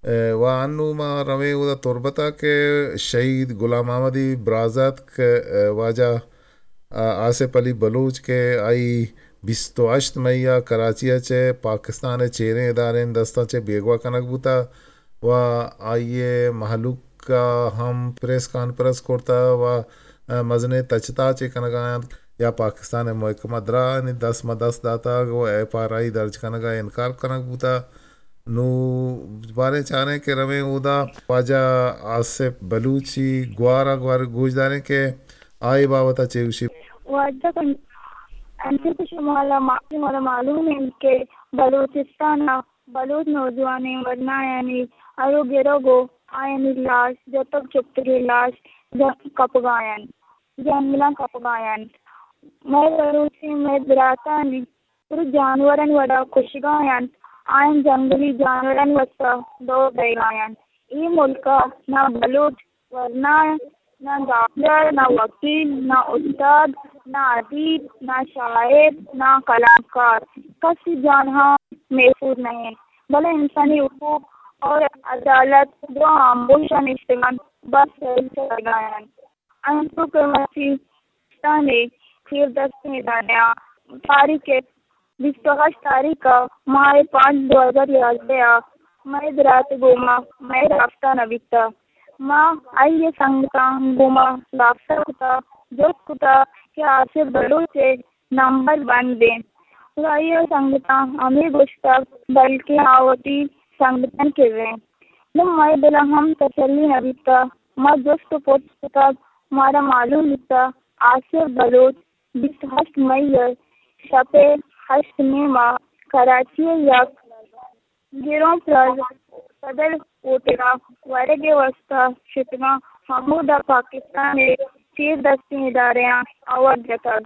ء، و انو ما رویں اودا تربت ء کہ شہید غلام محمد ء برازاتک، ء، واجہ، ء، آصف علی بلوچ کہ آئی بیست و ہشت مئی ء کراچی ء چہ پاکستان ء چیریں اداریں دستاں چہ بیگواہ کنگ بوتہ و آئی ء مہلوک ء ہم پریس کانفرنس کرتہ و، ء، مزنیں تچ تاچے کنگ ء انت یا پاکستان ء محکمہ درانی دست ما دست داتگ و ایف آر آئی درج کنگ ء انکار کنگ بوتہ۔ نوں باریں چاریں کہ رویں اودا واجہ آصف بلوچی گوار ء گوار گوش داریں کہ آئی بابت ء چے گوشی۔ واجہ کن-، انچو کہ شما لا ما-، شمارا معلوم انت کہ بلوچستان ء بلوچ نوجوانیں ورنایانی ارو گرگ و آیانی لاش جتگ چکتگیں لاش جنگ کپگا انت، جنگلاں کپگا انت۔ مئے بلوچیں مئے براتانی پرو جانورانی وڑا کشگا انت، آیان جنگلی جانورانی واستا دور دئیگا انت۔ اے ملکا نہ بلوچ ورنا، نہ ڈاکٹر، نہ وکیل، نہ استاد، نہ ادیب، نہ شاعر، نہ قلمکار، کسی جانہا محفوظ نہ انت، بلے انسانی حقوق اور عدالت دو آموشا نشتگان بس سیل کرگا انت۔ انچو کہ مرچی پاکستان ء چیر دستیں ادارہاں تاریخ ء بیست و ہشت تاریخ ء ماہ پانچ دو ہزار یازدہ ء مئے برات ء گوما مئے رابطہ نہ بیتہ۔ ما آئی ء سنگتاں گوما رابطہ کتہ، جست کتہ کہ آصف بلوچ ء نمبر بند انت۔ و آئی ء سنگتاں ہمے گوشتگ بلکیں آ وتی سنگتانی کرا انت۔ نوں مئے دل ء ہم تسلی نہ بیتہ۔ ما جست و پرس کتگ، مارا معلوم بیتہ آصف بلوچ بیست و ہشت مئی ء شپ ء ہشت نیم ء کراچی ء یک گران پلازہ صدر ہوٹل ء ورگ ء واستہ شتگاں، ہمودا پاکستان ء چیر دستیں ادارہاں آوار جتگ۔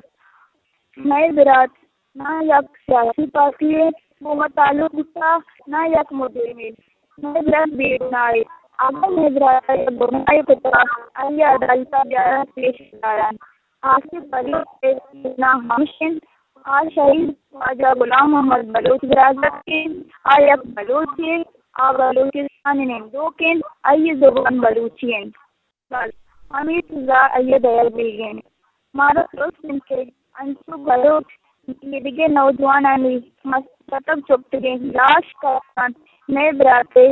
مئے برات نہ یک سیاسی پارٹی ء گوما تعلق بوتہ، نہ یک مجرمے۔ مئے برات بے گناہے۔ اگاں مئے برات ء یک گناہے کتہ، آئی ء عدالت ء بیاران پیش داران۔ آصف بلوچ ء گناہ ہمش انت، آ شہید واجہ غلام محمد بلوچ برازتک انت، آ یک بلوچے، آ بلوچستان ء نندوک انت، آئی ء زبان بلوچی انت۔ بس ہمے چیزا آئی ء دئیگ بیگ انت۔ مارا ترس انت کہ انچو بلوچ ایدگہ نوجوانانی مستتگ چکتگیں لاش کپنت، مئے برات ء،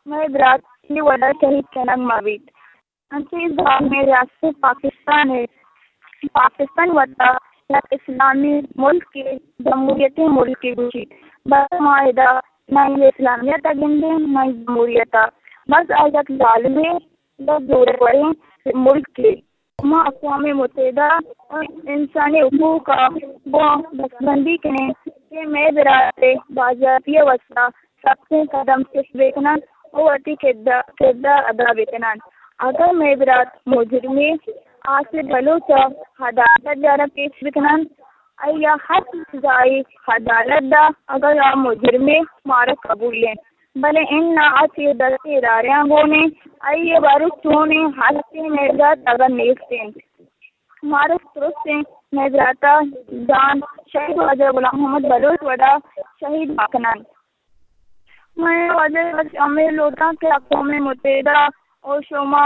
مئے برات اے وڑا شہید کنگ مہ بیت۔ انچیں زالمیں ریاست پاکستان ء، پاکستان وتا یک اسلامی ملکے، جمہوریتی ملکے گوشیت، بس ما ادا نہ اسلامیت ء گندیں نہ جمہوریت ء، بس آ یک ظالمیں یک زوروریں ملکے۔ ما اقوام متحدہ ء انسانی حقوق ء گوں دستبندی کنیں کہ مئے برات ء بازیابی ء واستہ سختیں قدم چست بہ کننت ء وتی کردار، کردار ادا بہ کننت۔ اگاں مئے برات مجرمے، آصف بلوچ ء عدالت ء جارا پیش بہ کننت، آئی ء ہر سزائے عدالت دات، اگاں آ مجرمے مارا قبول انت۔ بلے اناں آ چیر دستیں ادارہاں گون انت، آئی ء بارو چونیں ہستیں مئے برات اگاں نیست انت۔ مارا ترس انت مئے برات ء جان شہید واجہ غلام محمد بلوچ وڑا شہید مہ کننت۔ من واجہ بس ہمے لوٹاں کہ اقوام متحدہ و شما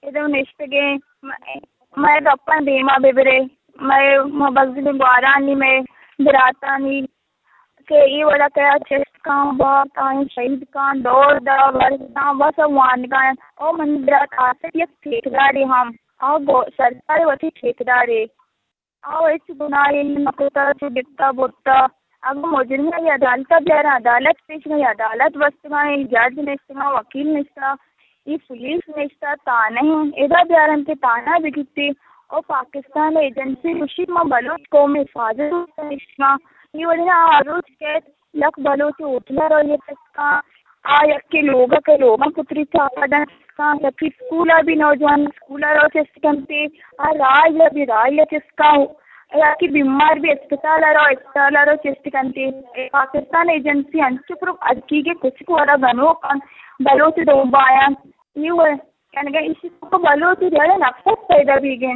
ادو نشتگیں مئے گپاں دیما ببرے، مئے مبزل گوارانی، مئے براتانی کہ اے وڑا کیا چست کن، بات آئیں شہید کن، دور دا، ورد دا، بس وانگا انت۔ او منی برات آصف یک ٹھیکدارے ہم، آ گو-، سرکار وتی ٹھیکدارے۔ آ ہچ گناہے نہ کتہ، چو گپتہ برتہ۔ اگاں مجرم ء عدالت ء بیاراں، عدالت پیش کن، عدالت بستگاں، اے جج نشتگاں، وکیل نشتہ، اے پولیس نشتہ، تانہ ادا بیارنت کہ تانہ بگیتے۔ او پاکستان ء ایجنسی گوشیت ما بلوچ قوم ء حفاظت ء نشتگاں۔ اے وڑیں آ روچ کیت یک بلوچ ہوٹل ء روی تسکاں، آ یکے لوگ ء کہ لوگاں پتری چاپا دنت، یکے اسکول ء بھی نوجوان اسکول ء رو چست کنتے، آ راہ ء بھی راہ ء چست کن، یکے بیمار بھی اسپتال ء رو، اسپتال ء رو چست کنتے۔ اے پاکستان ایجنسی انچو پرو ادکی کے کچھ کو ارا گنوک انت، بلوچ دومبایاں۔ اے و کنگا ایشی کو بلوچ جڑے نفرت پیدا بیگیں۔